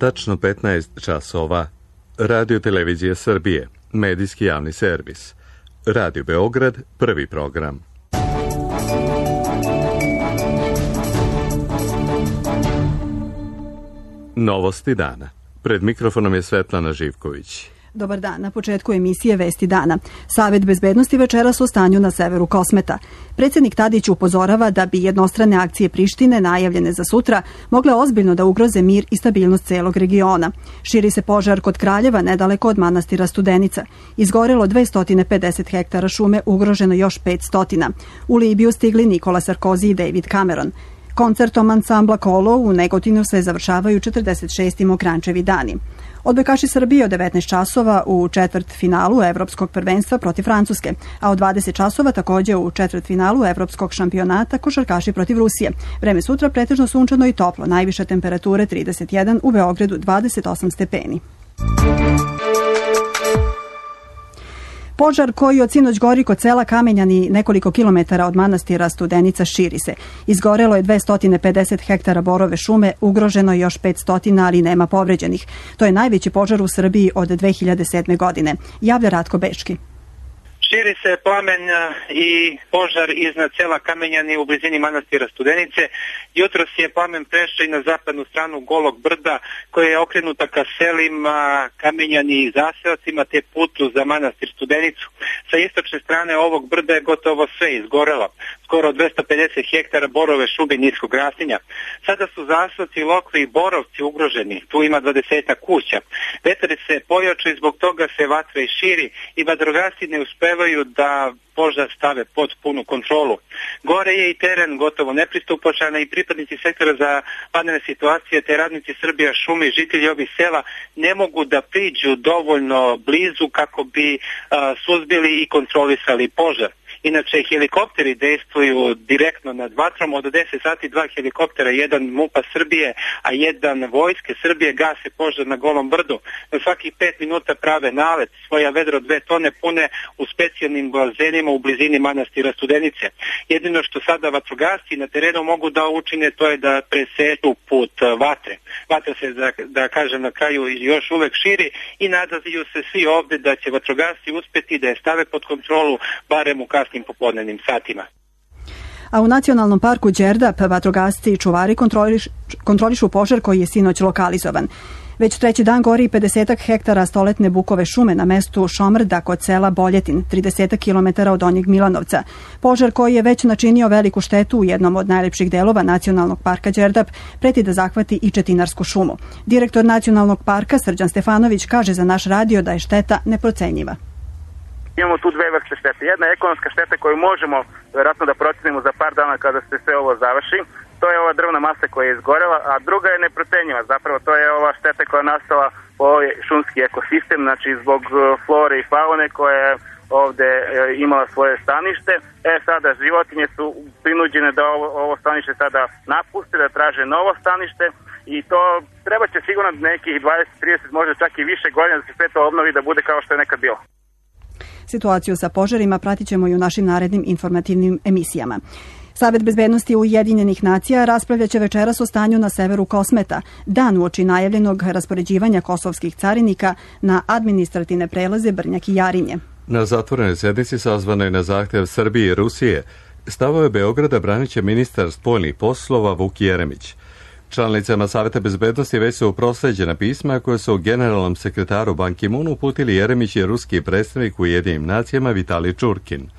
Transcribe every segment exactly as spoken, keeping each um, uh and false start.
tačno petnaest časova. Radio Televizija Srbije, medijski javni servis. Radio Beograd, prvi program. Novosti dana. Pred mikrofonom je Svetlana Živković. Dobar dan, na početku emisije Vesti dana. Savet bezbednosti večeras u stanju na severu Kosmeta. Predsjednik Tadić upozorava da bi jednostrane akcije Prištine, najavljene za sutra, mogle ozbiljno da ugroze mir i stabilnost celog regiona. Širi se požar kod Kraljeva, nedaleko od manastira Studenica. Izgorelo dvesta pedeset hektara šume, ugroženo još petsto. U Libiju stigli Nikola Sarkozy i David Cameron. Koncertom ansambla Kolo u Negotinu se završavaju četrdeset šesti Mokrančevi dani. Odbojkaši Srbije od devetnaest časova u četvrtfinalu Evropskog prvenstva protiv Francuske, a od dvadeset časova također u četvrtfinalu Evropskog šampionata košarkaši protiv Rusije. Vreme sutra pretežno sunčano i toplo, najviše temperature trideset jedan, u Beogradu dvadeset osam stepeni. Požar koji od sinoć gori kod sela Kamenjani nekoliko kilometara od manastira Studenica širi se. Izgorelo je dvesta pedeset hektara borove šume, ugroženo je još petsto, ali nema povređenih. To je najveći požar u Srbiji od dve hiljade sedme. godine. Javlja Ratko Bečki. Širi se plamen i požar iznad sela Kamenjani u blizini manastira Studenice. Jutros je plamen prešao i na zapadnu stranu Golog brda, koja je okrenuta ka selima Kamenjani i zaseocima te putu za manastir Studenicu. Sa istočne strane ovog brda je gotovo sve izgorelo. Skoro dvesta pedeset hektara borove šume niskog rastinja. Sada su zaseoci, lokvi i borovci ugroženi. Tu ima dvadesetak kuća. Vetar se pojačao i zbog toga se vatra i širi i vatrogasci ne uspevaju da požar stave pod punu kontrolu. Gore je i teren gotovo nepristupačan i pripadnici sektora za vanredne situacije te radnici Srbija šume i žitelji ovih sela ne mogu da priđu dovoljno blizu kako bi a, suzbili i kontrolisali požar. Inače, helikopteri dejstvuju direktno nad vatrom. Od deset sati dva helikoptera, jedan MUP-a Srbije, a jedan Vojske Srbije gase požar na Golom brdu. Na svakih pet minuta prave nalet, svoja vedro dve tone pune u specijalnim bazenima u blizini manastira Studenice. Jedino što sada vatrogasci na terenu mogu da učine, to je da presetu put vatre. Vatra se, da, da kažem na kraju, još uvek širi i nadaju se svi ovde da će vatrogasci uspeti da je stave pod kontrolu, barem u kasnim popodnevnim satima. A u Nacionalnom parku Đerdap vatrogasci i čuvari kontroliš, kontrolišu požar koji je sinoć lokalizovan. Već treći dan gori pedeset hektara stoletne bukove šume na mestu Šomrda kod sela Boljetin, trideset kilometara od Donjeg Milanovca. Požar koji je već načinio veliku štetu u jednom od najlepših delova Nacionalnog parka Đerdap preti da zahvati i Četinarsku šumu. Direktor Nacionalnog parka Srđan Stefanović kaže za naš radio da je šteta neprocenjiva. Imamo tu dve vrste štete. Jedna je ekonomska šteta koju možemo vjerojatno da procenimo za par dana kada se sve ovo završi. To je ova drvna masa koja je izgorela, a druga je neprocenjiva. Zapravo to je ova šteta koja je nastala po ovaj šumski ekosistem, znači zbog flore i faune koja je ovde imala svoje stanište. E sada životinje su prinuđene da ovo, ovo stanište sada napuste, da traže novo stanište i to treba će sigurno nekih dvadeset trideset, možda čak i više godina da se sve to obnovi, da bude kao što je nekad bilo. Situaciju sa požarima pratit ćemo i u našim narednim informativnim emisijama. Savet bezbednosti Ujedinjenih nacija raspravlja će večeras o stanju na severu Kosmeta, dan uoči najavljenog raspoređivanja kosovskih carinika na administrativne prelaze Brnjak i Jarinje. Na zatvorenoj sjednici sazvanoj na zahtjev Srbije i Rusije stavove Beograda branit će ministar spoljnih poslova Vuk Jeremić. Članicama Saveta bezbednosti već su prosleđena pisma koje su generalnom sekretaru Ban Ki-moonu uputili Jeremić i ruski predstavnik u Ujedinjenim nacijama Vitalij Čurkin.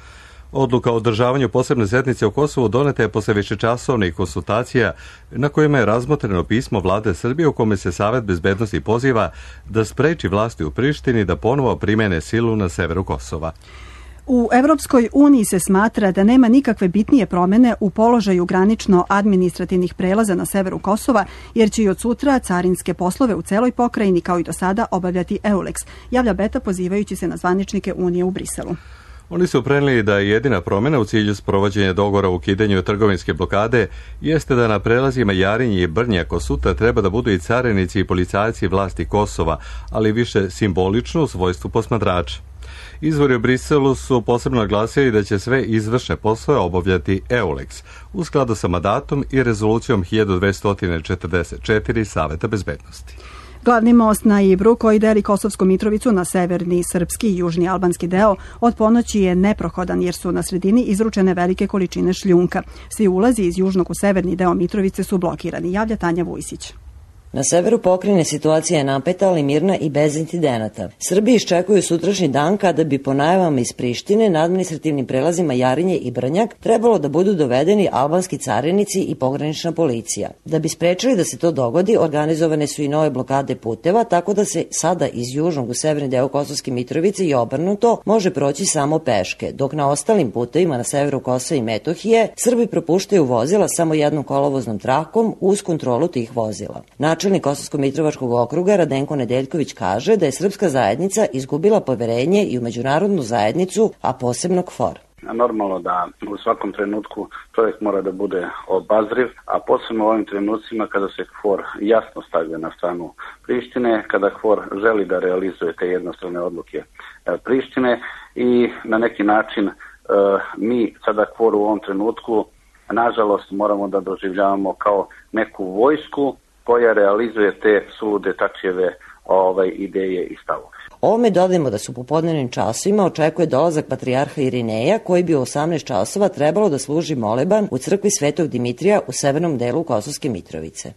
Odluka o održavanju posebne sjednice u Kosovu doneta je posle višečasovnih konsultacija na kojima je razmotreno pismo vlade Srbije u kome se Savet bezbednosti poziva da spreči vlasti u Prištini da ponovo primene silu na severu Kosova. U Evropskoj uniji se smatra da nema nikakve bitnije promene u položaju granično-administrativnih prelaza na severu Kosova, jer će i od sutra carinske poslove u celoj pokrajini kao i do sada obavljati EULEX, javlja Beta pozivajući se na zvaničnike Unije u Briselu. Oni su prenijeli da je jedina promjena u cilju sprovođenja dogovora o ukidanju trgovinske blokade jeste da na prelazima Jarinje i Brnjak od sutra treba da budu i carinici i policajci vlasti Kosova, ali više simbolično u svojstvu posmatrača. Izvori u Briselu su posebno naglasili da će sve izvršne poslove obavljati EULEX u skladu sa mandatom i rezolucijom hiljadu dvesta četrdeset četiri Saveta bezbednosti. Glavni most na Ibru, koji deli Kosovsku Mitrovicu na severni srpski i južni albanski deo, od ponoći je neprohodan jer su na sredini izručene velike količine šljunka. Svi ulazi iz južnog u severni deo Mitrovice su blokirani, javlja Tanja Vujsić. Na severu pokrajine situacija je napeta, ali mirna i bez incidenata. Srbi iščekuju sutrašnji dan kada bi po najavama iz Prištine na administrativnim prelazima Jarinje i Brnjak trebalo da budu dovedeni albanski carinici i pogranična policija. Da bi sprečili da se to dogodi, organizovane su i nove blokade puteva, tako da se sada iz južnog u severni deo Kosovske Mitrovice i obrnuto može proći samo peške, dok na ostalim putevima na severu Kosova i Metohije Srbi propuštaju vozila samo jednom kolovoznom trakom uz kontrolu tih vozila. Načelnik Kosovsko-Mitrovačkog okruga Radenko Nedeljković kaže da je srpska zajednica izgubila poverenje i u međunarodnu zajednicu, a posebno K F O R. Normalno da u svakom trenutku čovjek mora da bude obazriv, a posebno u ovim trenucima kada se K F O R jasno stavlja na stranu Prištine, kada K F O R želi da realizuje te jednostrane odluke Prištine i na neki način mi sada K F O R u ovom trenutku nažalost moramo da doživljavamo kao neku vojsku koja realizuje te sulude Tačijeve ovaj, ideje i stavove. Ovome dodajemo da su popodnevnim časovima očekuje dolazak patrijarha Irineja, koji bi u osamnaest časova trebalo da služi moleban u crkvi Svetog Dimitrija u severnom delu Kosovske Mitrovice.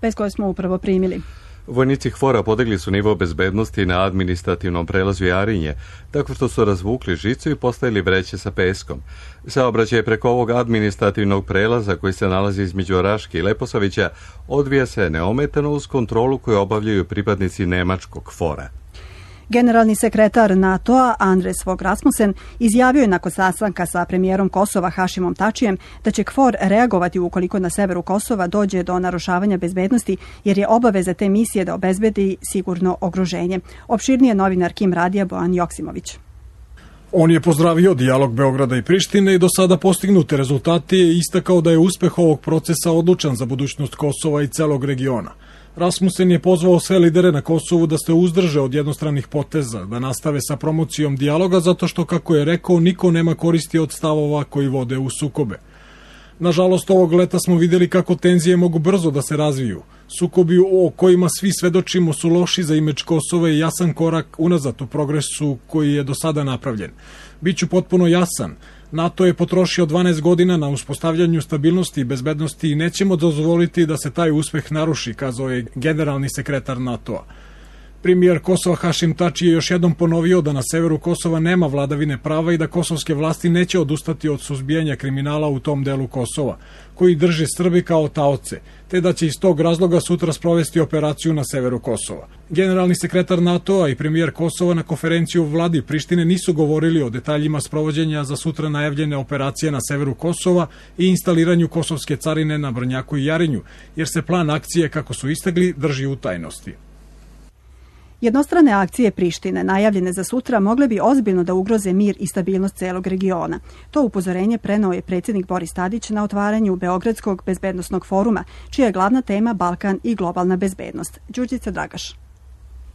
Bez koje smo upravo primili. Vojnici K F O R-a podigli su nivo bezbednosti na administrativnom prelazu Jarinje, tako što su razvukli žicu i postavili vreće sa peskom. Saobraćaj preko ovog administrativnog prelaza, koji se nalazi između Raške i Leposavića, odvija se neometano uz kontrolu koju obavljaju pripadnici nemačkog K F O R-a. Generalni sekretar NATO-a Andres Fogh Rasmussen izjavio je nakon sastanka sa premijerom Kosova Hašimom Tačijem da će K F O R reagovati ukoliko na severu Kosova dođe do narušavanja bezbednosti, jer je obaveza te misije da obezbedi sigurno okruženje. Opširnije novinar Kim Radija Bojan Joksimović. On je pozdravio dijalog Beograda i Prištine i do sada postignute rezultate i istakao da je uspeh ovog procesa odlučan za budućnost Kosova i celog regiona. Rasmussen je pozvao sve lidere na Kosovu da se uzdrže od jednostranih poteza, da nastave sa promocijom dijaloga zato što, kako je rekao, niko nema koristi od stavova koji vode u sukobe. Nažalost, ovog leta smo vidjeli kako tenzije mogu brzo da se razviju. Sukobi o kojima svi svedočimo su loši za imidž Kosova i jasan korak unazad u progresu koji je do sada napravljen. Biću potpuno jasan. NATO je potrošio dvanaest godina na uspostavljanju stabilnosti i bezbednosti i nećemo dozvoliti da se taj uspeh naruši, kazao je generalni sekretar NATO-a. Premijer Kosova Hašim Tači je još jednom ponovio da na severu Kosova nema vladavine prava i da kosovske vlasti neće odustati od suzbijanja kriminala u tom delu Kosova, koji drže Srbi kao taoce, te da će iz tog razloga sutra sprovesti operaciju na severu Kosova. Generalni sekretar NATO-a i premijer Kosova na konferenciju u vladi Prištine nisu govorili o detaljima sprovođenja za sutra najavljene operacije na severu Kosova i instaliranju kosovske carine na Brnjaku i Jarinju, jer se plan akcije, kako su istakli, drži u tajnosti. Jednostrane akcije Prištine, najavljene za sutra, mogle bi ozbiljno da ugroze mir i stabilnost celog regiona. To upozorenje preneo je predsjednik Boris Tadić na otvaranju Beogradskog bezbednosnog foruma, čija je glavna tema Balkan i globalna bezbednost. Đurđica Dragaš.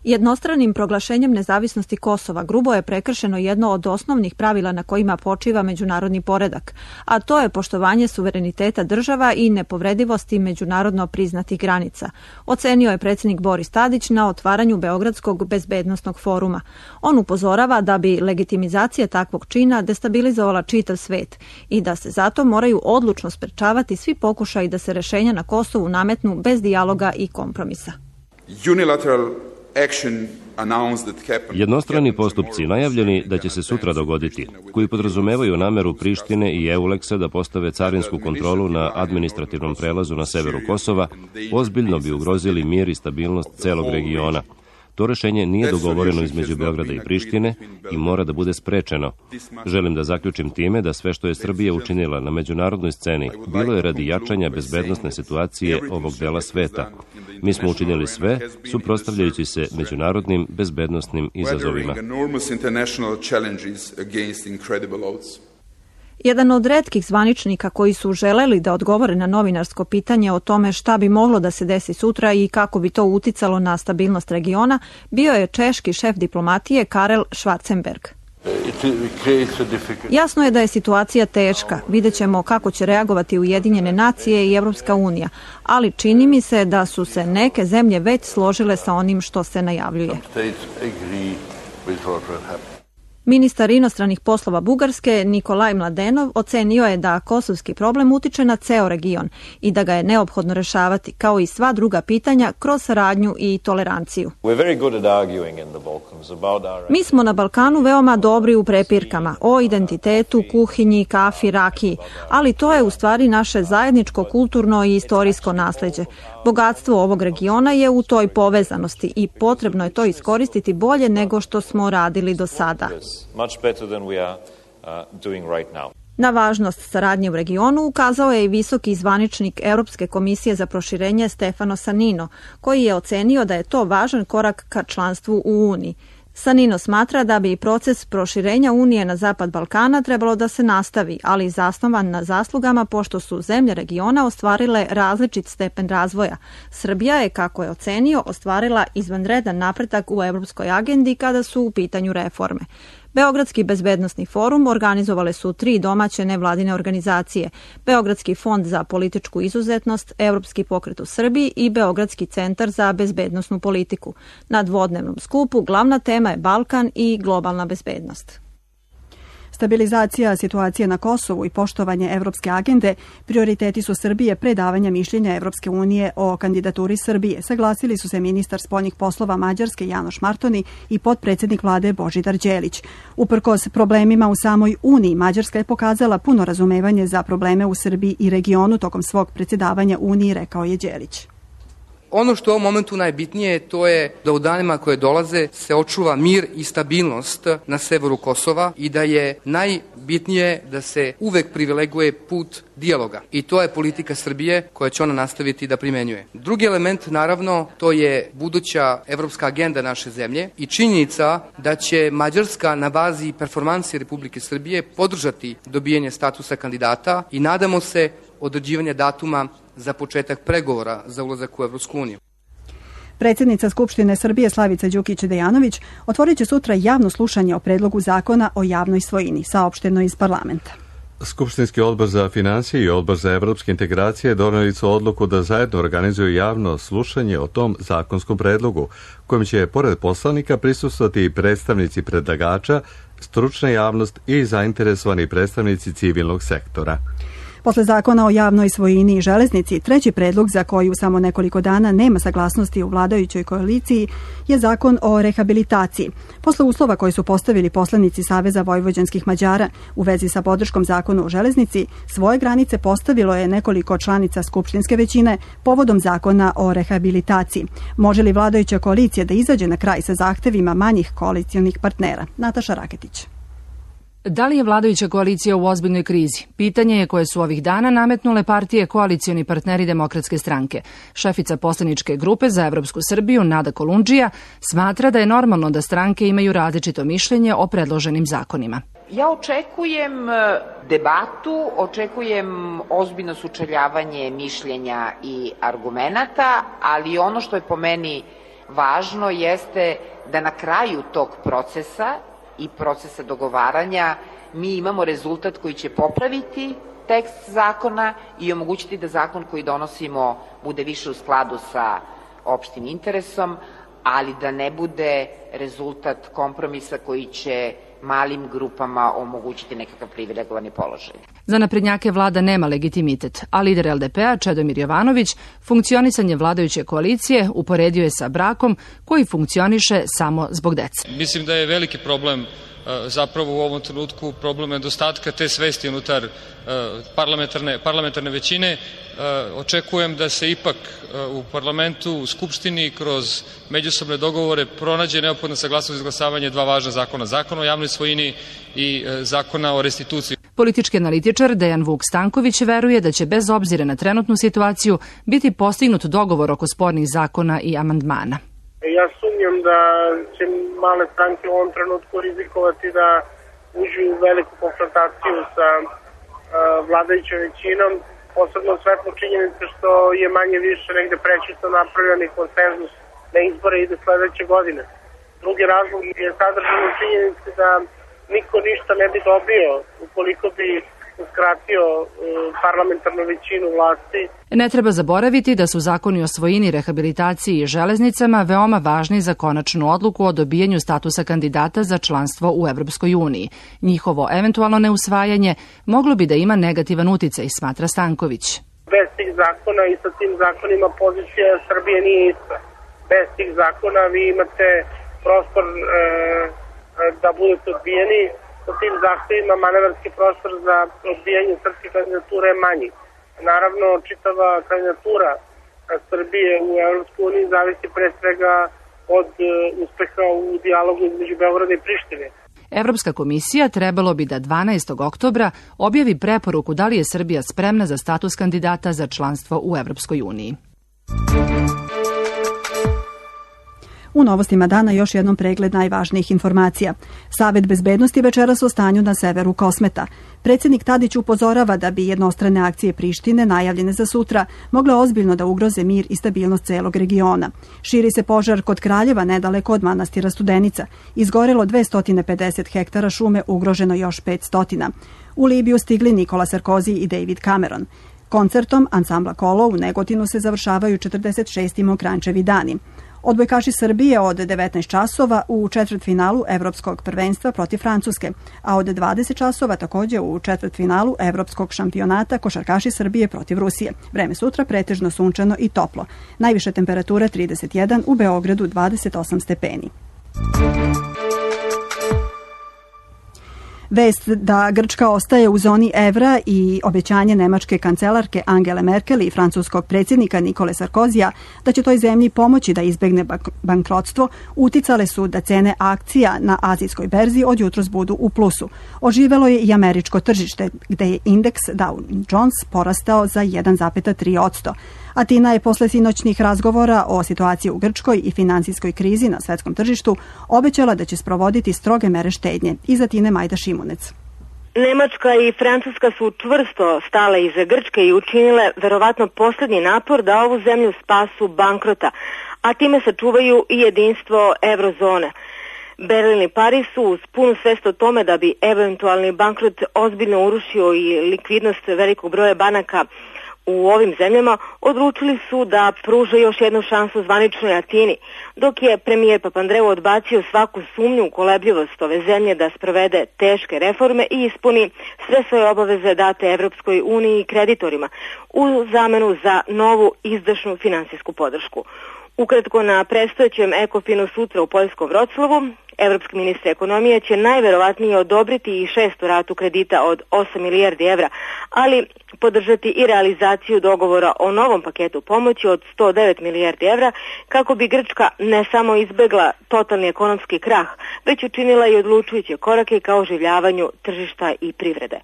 Jednostranim proglašenjem nezavisnosti Kosova grubo je prekršeno jedno od osnovnih pravila na kojima počiva međunarodni poredak, a to je poštovanje suvereniteta država i nepovredivosti međunarodno priznatih granica, ocenio je predsjednik Boris Tadić na otvaranju Beogradskog bezbednosnog foruma. On upozorava da bi legitimizacija takvog čina destabilizovala čitav svet i da se zato moraju odlučno sprečavati svi pokušaji da se rešenja na Kosovu nametnu bez dijaloga i kompromisa. Unilateral Jednostrani postupci najavljeni da će se sutra dogoditi, koji podrazumevaju nameru Prištine i Euleksa da postave carinsku kontrolu na administrativnom prelazu na severu Kosova, ozbiljno bi ugrozili mir i stabilnost celog regiona. To rešenje nije dogovoreno između Beograda i Prištine i mora da bude sprečeno. Želim da zaključim time da sve što je Srbija učinila na međunarodnoj sceni bilo je radi jačanja bezbednosne situacije ovog dela sveta. Mi smo učinili sve, suprotstavljajući se međunarodnim bezbednosnim izazovima. Jedan od retkih zvaničnika koji su želeli da odgovore na novinarsko pitanje o tome šta bi moglo da se desi sutra i kako bi to uticalo na stabilnost regiona bio je češki šef diplomatije Karel Schwarzenberg. Jasno je da je situacija teška. Vidjet ćemo kako će reagovati Ujedinjene nacije i Evropska unija, ali čini mi se da su se neke zemlje već složile sa onim što se najavljuje. Ministar inostranih poslova Bugarske Nikolaj Mladenov ocenio je da kosovski problem utiče na ceo region i da ga je neophodno rešavati, kao i sva druga pitanja, kroz saradnju i toleranciju. Mi smo na Balkanu veoma dobri u prepirkama o identitetu, kuhinji, kafi, rakiji, ali to je u stvari naše zajedničko kulturno i istorijsko nasleđe. Bogatstvo ovog regiona je u toj povezanosti i potrebno je to iskoristiti bolje nego što smo radili do sada. Na važnost saradnje u regionu ukazao je i visoki zvaničnik Europske komisije za proširenje Stefano Sanino, koji je ocenio da je to važan korak ka članstvu u Uniji. Sanino smatra da bi proces proširenja Unije na zapad Balkana trebalo da se nastavi, ali zasnovan na zaslugama pošto su zemlje regiona ostvarile različit stepen razvoja. Srbija je, kako je ocenio, ostvarila izvanredan napredak u evropskoj agendi kada su u pitanju reforme. Beogradski bezbednosni forum organizovale su tri domaće nevladine organizacije, Beogradski fond za političku izuzetnost, Evropski pokret u Srbiji i Beogradski centar za bezbednosnu politiku. Na dvodnevnom skupu glavna tema je Balkan i globalna bezbednost. Stabilizacija situacije na Kosovu i poštovanje evropske agende prioriteti su Srbije pre davanja mišljenja Evropske unije o kandidaturi Srbije. Saglasili su se ministar spoljnih poslova Mađarske Janoš Martoni i potpredsednik vlade Božidar Đelić. Uprkos problemima u samoj Uniji, Mađarska je pokazala puno razumevanje za probleme u Srbiji i regionu tokom svog predsjedavanja Uniji, rekao je Đelić. Ono što je u ovom momentu najbitnije to je da u danima koje dolaze se očuva mir i stabilnost na severu Kosova i da je najbitnije da se uvek privileguje put dijaloga. I to je politika Srbije koja će ona nastaviti da primenjuje. Drugi element, naravno, to je buduća evropska agenda naše zemlje i činjenica da će Mađarska na bazi performansi Republike Srbije podržati dobijanje statusa kandidata i nadamo se određivanje datuma za početak pregovora za ulazak u Evropsku uniju. Predsjednica Skupštine Srbije Slavica Đukić-Dejanović otvorit će sutra javno slušanje o predlogu zakona o javnoj svojini, saopšteno iz parlamenta. Skupštinski odbor za financije i odbor za evropske integracije doneli su odluku da zajedno organizuju javno slušanje o tom zakonskom predlogu, kojim će pored poslanika prisustvovati i predstavnici predlagača, stručna javnost i zainteresovani predstavnici civilnog sektora. Posle zakona o javnoj svojini i železnici, treći predlog za koji u samo nekoliko dana nema saglasnosti u vladajućoj koaliciji je zakon o rehabilitaciji. Posle uslova koje su postavili poslanici Saveza vojvođanskih Mađara u vezi sa podrškom zakonu o železnici, svoje granice postavilo je nekoliko članica skupštinske većine povodom zakona o rehabilitaciji. Može li vladajuća koalicija da izađe na kraj sa zahtevima manjih koalicijonih partnera? Nataša Raketić. Da li je vladajuća koalicija u ozbiljnoj krizi? Pitanje je koje su ovih dana nametnule partije koalicioni partneri Demokratske stranke. Šefica poslaničke grupe za Evropsku Srbiju, Nada Kolundžija, smatra da je normalno da stranke imaju različito mišljenje o predloženim zakonima. Ja očekujem debatu, očekujem ozbiljno sučeljavanje mišljenja i argumenata, ali ono što je po meni važno jeste da na kraju tog procesa i procesa dogovaranja mi imamo rezultat koji će popraviti tekst zakona i omogućiti da zakon koji donosimo bude više u skladu sa opštim interesom, ali da ne bude rezultat kompromisa koji će malim grupama omogućiti nekakav privilegovani položaj. Za naprednjake vlada nema legitimitet, a lider el de pe-a Čedomir Jovanović funkcionisanje vladajuće koalicije uporedio je sa brakom koji funkcioniše samo zbog dece. Mislim da je veliki problem zapravo u ovom trenutku problem nedostatka te svesti unutar parlamentarne, parlamentarne većine. Očekujem da se ipak u parlamentu, u Skupštini, kroz međusobne dogovore pronađe neophodna saglasnost za izglasavanje dva važna zakona. Zakona o javnoj svojini i zakona o restituciji. Politički analitičar Dejan Vuk Stanković veruje da će bez obzira na trenutnu situaciju biti postignut dogovor oko spornih zakona i amandmana. Ja sumnjam da će male stranke u ovom trenutku rizikovati da uđu u veliku konfrontaciju sa uh, vladajućom većinom, posebno svetlo činjenice što je manje više negde prečito napravljeni konsenzus na izbore ide sledeće godine. Drugi razlog je sadržan u činjenici da niko ništa ne bi dobio ukoliko bi uskratio parlamentarnu većinu vlasti. Ne treba zaboraviti da su zakoni o svojini, rehabilitaciji i železnicama veoma važni za konačnu odluku o dobijanju statusa kandidata za članstvo u Evropskoj uniji. Njihovo eventualno neusvajanje moglo bi da ima negativan uticaj, smatra Stanković. Bez tih zakona i sa tim zakonima pozicija Srbije nije ista. Bez tih zakona vi imate prostor e, da budete odbijeni. Sa tim zahtevima manevarski prostor za odbijanje srpske kandidature je manji. Naravno, čitava kandidatura Srbije u Evropskoj uniji zavisi pre svega od uspeha u dijalogu između Beograda i Prištine. Evropska komisija trebalo bi da dvanaestog oktobra objavi preporuku da li je Srbija spremna za status kandidata za članstvo u Evropskoj uniji. U novostima dana još jednom pregled najvažnijih informacija. Savet bezbednosti večeras o stanju na severu Kosmeta. Predsjednik Tadić upozorava da bi jednostrane akcije Prištine, najavljene za sutra, mogle ozbiljno da ugroze mir i stabilnost celog regiona. Širi se požar kod Kraljeva, nedaleko od manastira Studenica. Izgorelo dvesta pedeset hektara šume, ugroženo još petsto. U Libiju stigli Nikola Sarkozy i David Cameron. Koncertom ansambla Kolo u Negotinu se završavaju četrdeset šesti Mokrančevi dani. Odbojkaši Srbije od devetnaest časova u četvrtfinalu Evropskog prvenstva protiv Francuske, a od dvadeset časova također u četvrtfinalu Evropskog šampionata košarkaši Srbije protiv Rusije. Vreme sutra pretežno sunčano i toplo. Najviša temperatura trideset jedan, u Beogradu dvadeset osam stepeni. Vest da Grčka ostaje u zoni evra i obećanje nemačke kancelarke Angele Merkel i francuskog predsjednika Nikole Sarkozija da će toj zemlji pomoći da izbegne bankrotstvo uticale su da cene akcija na azijskoj berzi od jutros budu u plusu. Oživelo je i američko tržište gde je indeks Dow Jones porastao za jedan zarez tri posto. Atina je posle sinoćnih razgovora o situaciji u Grčkoj i finansijskoj krizi na svetskom tržištu obećala da će sprovoditi stroge mere štednje. Iz Atine Majda Šimunec. Nemačka i Francuska su čvrsto stale iza Grčke i učinile verovatno posljednji napor da ovu zemlju spasu bankrota, a time sačuvaju i jedinstvo eurozone. Berlin i Pariz su uz punu svest o tome da bi eventualni bankrot ozbiljno urušio i likvidnost velikog broja banaka u ovim zemljama, odlučili su da pruže još jednu šansu zvaničnoj Atini, dok je premijer Papandreou odbacio svaku sumnju u kolebljivost ove zemlje da sprovede teške reforme i ispuni sve svoje obaveze date Evropskoj uniji i kreditorima u zamenu za novu izdašnu finansijsku podršku. Ukratko, na predstojećem Ekofinu sutra u Poljskom Vroclavu, evropski ministar ekonomije će najverovatnije odobriti i šestu ratu kredita od osam milijardi evra, ali podržati i realizaciju dogovora o novom paketu pomoći od sto devet milijardi evra kako bi Grčka ne samo izbegla totalni ekonomski krah, već učinila i odlučujuće korake ka oživljavanju tržišta i privrede.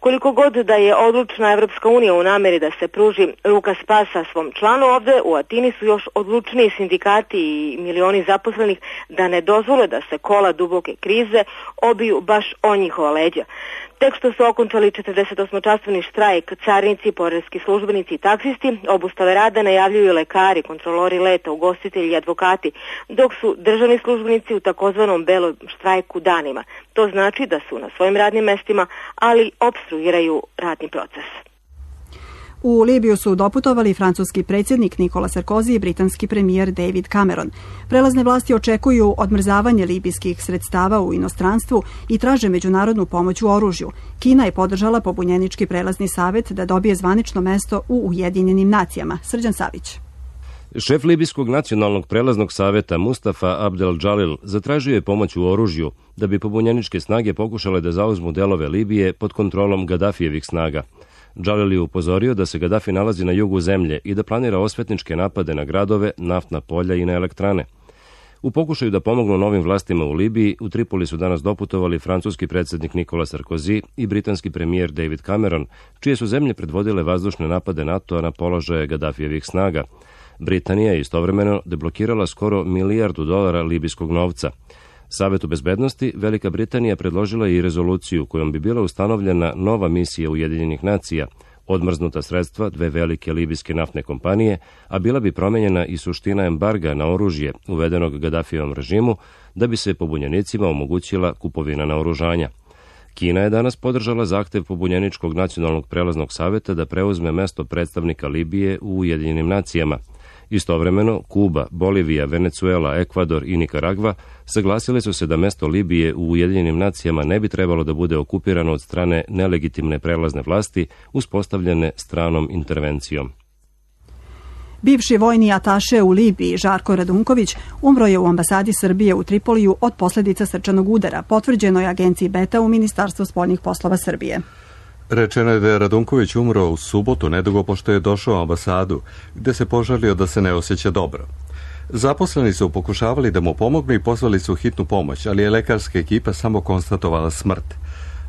Koliko god da je odlučna Evropska unija u nameri da se pruži ruka spasa svom članu, ovde u Atini su još odlučniji sindikati i milioni zaposlenih da ne dozvole da se kola duboke krize obiju baš o njihova leđa. Tek što su okončali četrdesetosmočasovni štrajk, carinici, poreski službenici i taksisti, obustave rada najavljuju lekari, kontrolori leta, ugostitelji i advokati, dok su državni službenici u takozvanom belom štrajku danima. To znači da su na svojim radnim mestima, ali opstruiraju radni proces. U Libiju su doputovali francuski predsjednik Nikola Sarkozy i britanski premijer David Cameron. Prelazne vlasti očekuju odmrzavanje libijskih sredstava u inostranstvu i traže međunarodnu pomoć u oružju. Kina je podržala pobunjenički prelazni savet da dobije zvanično mesto u Ujedinjenim nacijama. Srđan Savić. Šef Libijskog nacionalnog prelaznog saveta Mustafa Abdel Džalil zatražio je pomoć u oružju da bi pobunjeničke snage pokušale da zauzmu delove Libije pod kontrolom Gadafijevih snaga. Džalil je upozorio da se Gadafi nalazi na jugu zemlje i da planira osvetničke napade na gradove, naftna polja i na elektrane. U pokušaju da pomognu novim vlastima u Libiji, u Tripoli su danas doputovali francuski predsjednik Nikola Sarkozy i britanski premijer David Cameron, čije su zemlje predvodile vazdušne napade NATO-a na položaje Gadafijevih snaga. Britanija je istovremeno deblokirala skoro milijardu dolara libijskog novca. Savetu bezbednosti Velika Britanija predložila i rezoluciju kojom bi bila ustanovljena nova misija Ujedinjenih nacija, odmrznuta sredstva dve velike libijske naftne kompanije, a bila bi promenjena i suština embarga na oružje uvedenog Gadafijevom režimu da bi se pobunjenicima omogućila kupovina naoružanja. Kina je danas podržala zahtev pobunjeničkog nacionalnog prelaznog saveta da preuzme mesto predstavnika Libije u Ujedinjenim nacijama. Istovremeno, Kuba, Bolivija, Venecuela, Ekvador i Nikaragva saglasile su se da mesto Libije u Ujedinjenim nacijama ne bi trebalo da bude okupirano od strane nelegitimne prelazne vlasti uspostavljene stranom intervencijom. Bivši vojni ataše u Libiji Žarko Radunković umro je u ambasadi Srbije u Tripoliju od posledica srčanog udara, potvrđeno je agenciji Beta u Ministarstvu spoljnih poslova Srbije. Rečeno je da je Radunković umro u subotu, nedugo pošto je došao u ambasadu, gde se požalio da se ne osjeća dobro. Zaposleni su pokušavali da mu pomognu i pozvali su hitnu pomoć, ali je lekarska ekipa samo konstatovala smrt.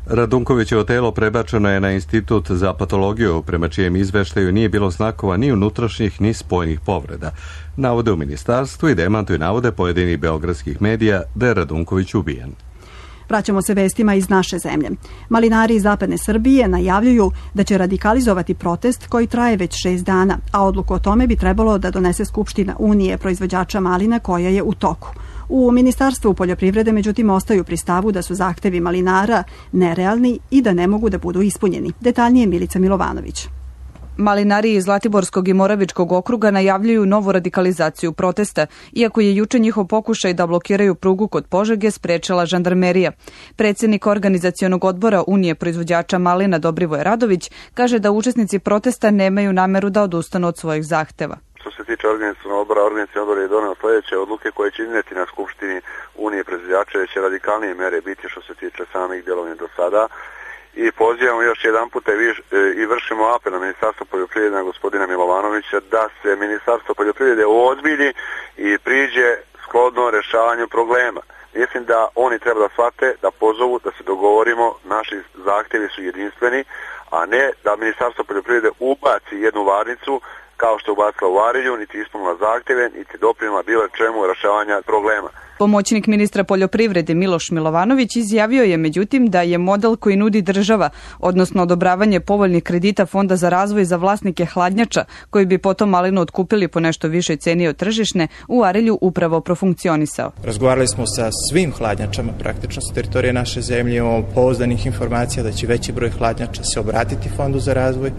Radunkovićevo telo prebačeno je na Institut za patologiju, prema čijem izveštaju nije bilo znakova ni unutrašnjih ni spoljnih povreda. Navode u ministarstvu i demantuju navode pojedinih beogradskih medija da je Radunković ubijen. Vraćamo se vestima iz naše zemlje. Malinari iz zapadne Srbije najavljuju da će radikalizovati protest koji traje već šest dana, a odluku o tome bi trebalo da donese Skupština Unije proizvođača malina koja je u toku. U Ministarstvu poljoprivrede međutim ostaju pri stavu da su zahtevi malinara nerealni i da ne mogu da budu ispunjeni. Detaljnije Milica Milovanović. Malinari iz Zlatiborskog i Moravičkog okruga najavljuju novu radikalizaciju protesta, iako je juče njihov pokušaj da blokiraju prugu kod Požege sprečila žandarmerija. Predsjednik organizacionog odbora Unije proizvođača malina Dobrivoje Radović kaže da učesnici protesta nemaju nameru da odustanu od svojih zahteva. Što se tiče organizacionog odbora, organizacioni odbor je doneo sljedeće odluke koje će iznijeti na Skupštini Unije proizvođača, će radikalnije mere biti što se tiče samih djelovanja do sada. I pozivamo još jedan puta i vršimo apel na Ministarstvo poljoprivrede, na gospodina Milovanovića, da se Ministarstvo poljoprivrede uozbilji i priđe shodno rešavanju problema. Mislim da oni treba da shvate, da pozovu, da se dogovorimo, naši zahtjevi su jedinstveni, a ne da Ministarstvo poljoprivrede ubaci jednu varnicu kao što je ubacila u Varilju, niti ispunila zahtjeve, niti doprinula bilo čemu rešavanja problema. Pomoćnik ministra poljoprivrede Miloš Milovanović izjavio je međutim da je model koji nudi država, odnosno odobravanje povoljnih kredita Fonda za razvoj za vlasnike hladnjača, koji bi potom malinu otkupili po nešto višoj ceni od tržišne, u Arilju upravo profunkcionisao. Razgovarali smo sa svim hladnjačama praktično sa teritorije naše zemlje, imamo pouzdanih informacija da će veći broj hladnjača se obratiti Fondu za razvoj,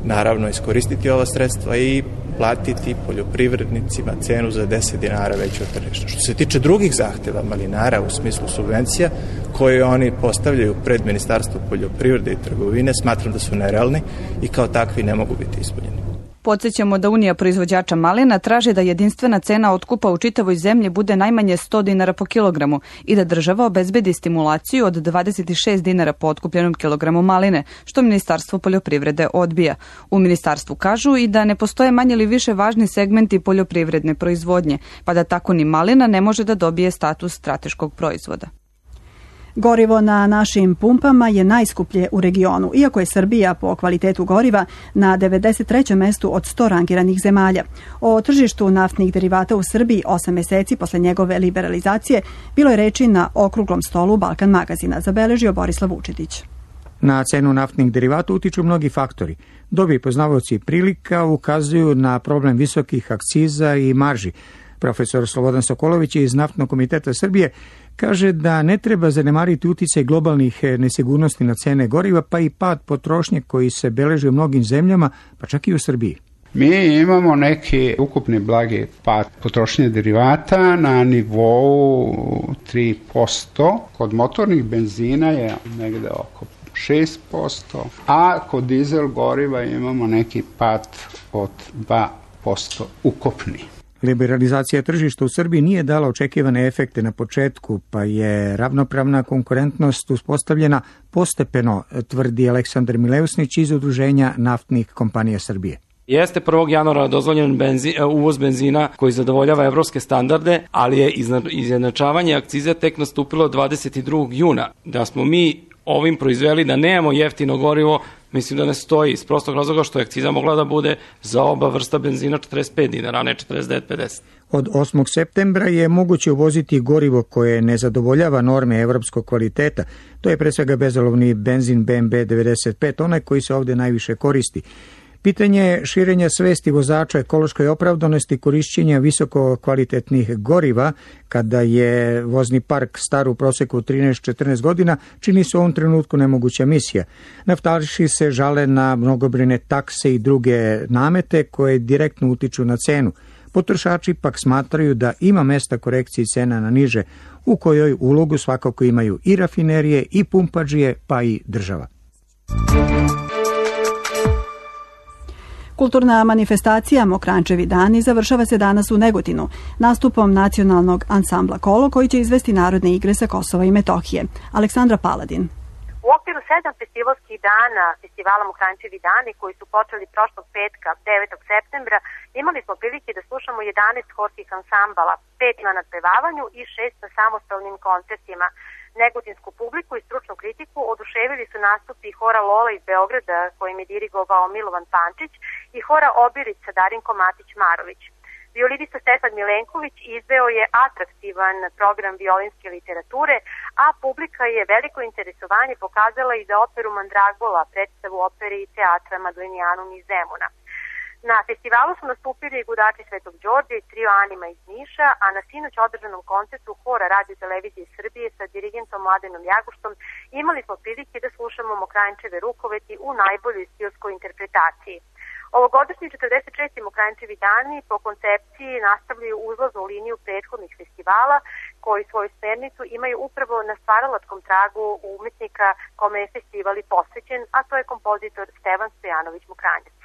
naravno iskoristiti ova sredstva i platiti poljoprivrednicima cenu za deset dinara veću od tržišta. Što se tiče drugih zahteva malinara u smislu subvencija koje oni postavljaju pred Ministarstvo poljoprivrede i trgovine, smatram da su nerealni i kao takvi ne mogu biti ispunjeni. Podsjećamo da Unija proizvođača malina traži da jedinstvena cena otkupa u čitavoj zemlji bude najmanje sto dinara po kilogramu i da država obezbedi stimulaciju od dvadeset šest dinara po otkupljenom kilogramu maline, što Ministarstvo poljoprivrede odbija. U ministarstvu kažu i da ne postoje manje ili više važni segmenti poljoprivredne proizvodnje, pa da tako ni malina ne može da dobije status strateškog proizvoda. Gorivo na našim pumpama je najskuplje u regionu, iako je Srbija po kvalitetu goriva na devedeset trećem mestu od sto rangiranih zemalja. O tržištu naftnih derivata u Srbiji osam meseci posle njegove liberalizacije bilo je reči na okruglom stolu Balkan magazina, zabeležio Borislav Vučetić. Na cenu naftnih derivata utiču mnogi faktori. Dobri poznavaoci prilika ukazuju na problem visokih akciza i marži. Profesor Slobodan Sokolović iz Naftnog komiteta Srbije kaže da ne treba zanemariti uticaj globalnih nesigurnosti na cene goriva, pa i pad potrošnje koji se beleži u mnogim zemljama, pa čak i u Srbiji. Mi imamo neki ukupni blagi pad potrošnje derivata na nivou tri posto, kod motornih benzina je negde oko šest posto, a kod dizel goriva imamo neki pad od dva posto ukupni. Liberalizacija tržišta u Srbiji nije dala očekivane efekte na početku, pa je ravnopravna konkurentnost uspostavljena postepeno, tvrdi Aleksandar Mileusnić iz Udruženja naftnih kompanija Srbije. Jeste prvog januara dozvoljen benzin, uvoz benzina koji zadovoljava evropske standarde, ali je izjednačavanje akcize tek nastupilo dvadeset drugog juna. Da smo mi ovim proizveli da nemamo jeftino gorivo, Mislim da ne stoji iz prostog razloga što je akciza mogla da bude za oba vrsta benzina četrdeset pet dinara, a ne četrdeset devet pedeset. Od osmog septembra je moguće uvoziti gorivo koje ne zadovoljava norme evropskog kvaliteta. To je pre svega bezolovni benzin B M B devedeset pet, onaj koji se ovde najviše koristi. Pitanje je širenja svesti vozača ekološkoj opravdanosti korišćenja visoko kvalitetnih goriva kada je vozni park star u proseku trinaest do četrnaest godina, čini se u ovom trenutku nemoguća misija. Naftališi se žale na mnogobrojne takse i druge namete koje direktno utiču na cenu. Potrošači pak smatraju da ima mesta korekciji cena na niže, u kojoj ulogu svakako imaju i rafinerije i pumpađije, pa i država. Kulturna manifestacija Mokrančevi dani završava se danas u Negotinu nastupom nacionalnog ansambla Kolo koji će izvesti narodne igre sa Kosova i Metohije. Aleksandra Paladin. U okviru sedam festivalskih dana festivala Mokrančevi dani koji su počeli prošlog petka, devetog septembra, imali smo prilike da slušamo jedanaest horskih ansambala, pet na nadpevavanju i šest na samostalnim koncertima. Negotinsku publiku i stručnu kritiku oduševili su nastupi hora Lola iz Beograda kojim je dirigovao Milovan Pančić i hora Obirić sa Darinko Matić-Marović. Violinista Stefan Milenković izveo je atraktivan program violinske literature, a publika je veliko interesovanje pokazala i za operu Mandragola, predstavu opere i teatra Madlenijanum iz Zemuna. Na festivalu su nastupili i gudači Svetog Đorđa i trio Anima iz Niša, a na sinoć održanom koncertu hora Radio Televizije Srbije sa dirigentom Mladenom Jaguštom imali smo prilike da slušamo Mokrančeve rukoveti u najboljoj stilskoj interpretaciji. Ovogodišnji četrdeset šesti Mokrančevi dani po koncepciji nastavljaju uzlaznu liniju prethodnih festivala koji svoju smernicu imaju upravo na stvaralačkom tragu umetnika kome je festival i posvećen, a to je kompozitor Stevan Stojanović Mokranjac.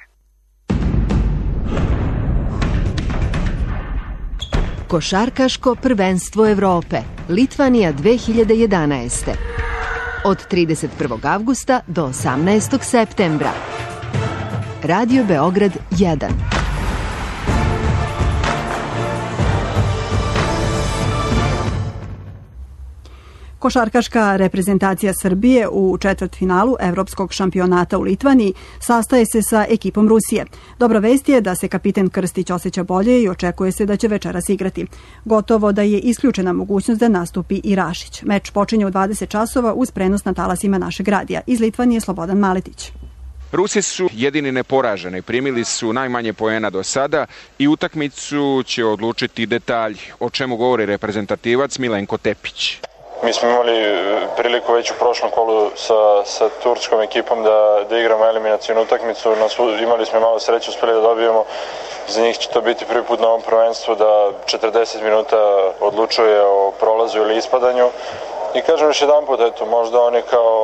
Košarkaško prvenstvo Evrope, Litvanija dve hiljade jedanaeste. Od trideset prvog avgusta do osamnaestog septembra. Radio Beograd jedan. Košarkaška reprezentacija Srbije u četvrtfinalu Evropskog šampionata u Litvaniji sastaje se sa ekipom Rusije. Dobra vest je da se kapiten Krstić osjeća bolje i očekuje se da će večeras igrati. Gotovo da je isključena mogućnost da nastupi i Rašić. Meč počinje u dvadeset časova uz prenos na talasima našeg radija. Iz Litvanije Slobodan Maletić. Rusi su jedini neporaženi, primili su najmanje poena do sada i utakmicu će odlučiti detalj, o čemu govori reprezentativac Milenko Tepić. Mi smo imali priliku već u prošlom kolu sa, sa turskom ekipom da, da igramo eliminacijonu utakmicu. Imali smo malo sreće, uspeli da dobijemo. Za njih će to biti prvi put na ovom prvenstvu da četrdeset minuta odlučuje o prolazu ili ispadanju. I kažem još jedan put, eto, možda oni kao,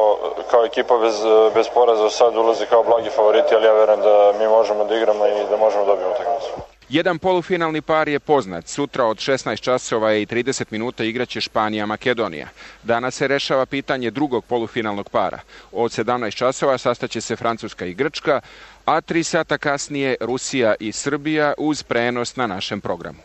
kao ekipa bez, bez poraza sad ulaze kao blagi favoriti, ali ja verujem da mi možemo da igramo i da možemo da dobijemo utakmicu. Jedan polufinalni par je poznat. Sutra od šesnaest časova i trideset minuta igraće Španija-Makedonija. Danas se rešava pitanje drugog polufinalnog para. Od sedamnaest časova sastaće se Francuska i Grčka, a tri sata kasnije Rusija i Srbija uz prenos na našem programu.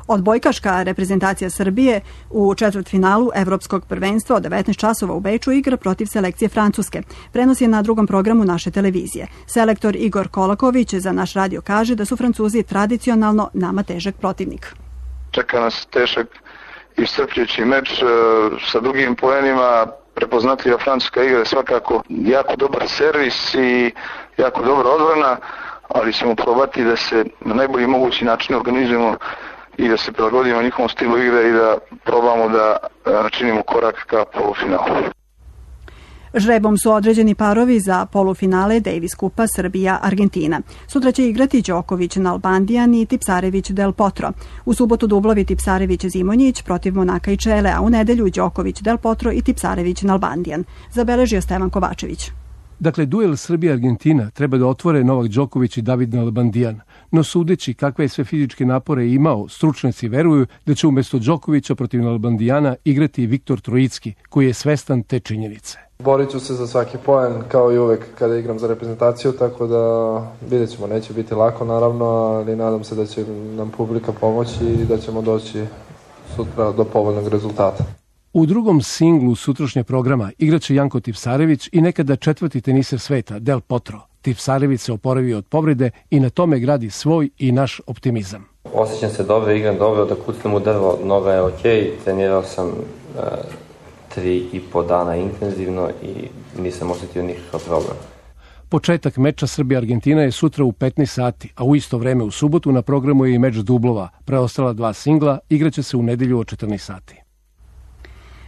Odbojkaška reprezentacija Srbije u četvrtfinalu Evropskog prvenstva od devetnaest časova u Beču igra protiv selekcije Francuske. Prenos je na drugom programu naše televizije. Selektor Igor Kolaković za naš radio kaže da su Francuzi tradicionalno nama težak protivnik. Čeka nas težak i iscrpljujući meč sa dugim poenima. Prepoznatljiva francuska igra je svakako jako dobar servis i jako dobra odbrana, ali ćemo probati da se na najbolji mogući način organizujemo i da se prilagodimo njihovom stilu igre i da probamo da načinimo korak ka polufinalu. Žrebom su određeni parovi za polufinale Davis Kupa Srbija-Argentina. Sutra će igrati Đoković-Nalbandijan i Tipsarević-Del Potro. U subotu dublovi Tipsarević-Zimonjić protiv Monaka i Čele, a u nedelju Đoković-Del Potro i Tipsarević-Nalbandijan. Zabeležio Stevan Kovačević. Dakle, duel Srbija-Argentina treba da otvore Novak Đoković i David Nalbandijan, no sudeći kakve je sve fizičke napore imao, stručnjaci veruju da će umjesto Đokovića protiv Nalbandijana igrati Viktor Trojicki, koji je svestan te činjenice. Borit ću se za svaki poen, kao i uvek kada igram za reprezentaciju, tako da vidjet ćemo, neće biti lako naravno, ali nadam se da će nam publika pomoći i da ćemo doći sutra do povoljnog rezultata. U drugom singlu sutrašnjeg programa igraće Janko Tipsarević i nekada četvrti teniser sveta Del Potro. Tipsarević se oporavio od povrede i na tome gradi svoj i naš optimizam. Osjećam se dobro, igram dobro, da kucnem u drvo, noga je okej, trenirao sam uh, tri i po dana intenzivno i nisam osjetio nikakav problem. Početak meča Srbija-Argentina je sutra u petnaest sati, a u isto vreme u subotu na programu je i meč dublova. Preostala dva singla igraće se u nedelju od četrnaest sati.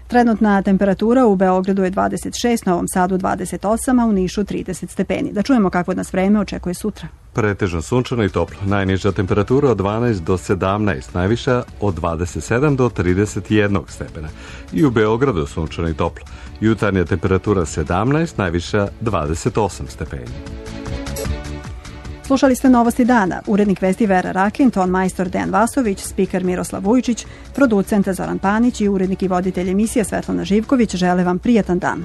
Trenutna temperatura u Beogradu je dvadeset šest, Novom Sadu dvadeset osam, a u Nišu trideset stepeni. Da čujemo kakvo nas vreme očekuje sutra. Pretežno sunčano i toplo. Najniža temperatura od dvanaest do sedamnaest, najviša od dvadeset sedam do trideset jedan stepena. I u Beogradu sunčano i toplo. Jutarnja temperatura sedamnaest, najviša dvadeset osam stepeni. Slušali ste Novosti dana. Urednik vesti Vera Rakin, ton majstor Dejan Vasović, spiker Miroslav Vujčić, producent Zoran Panić i urednik i voditelj emisije Svetlana Živković žele vam prijatan dan.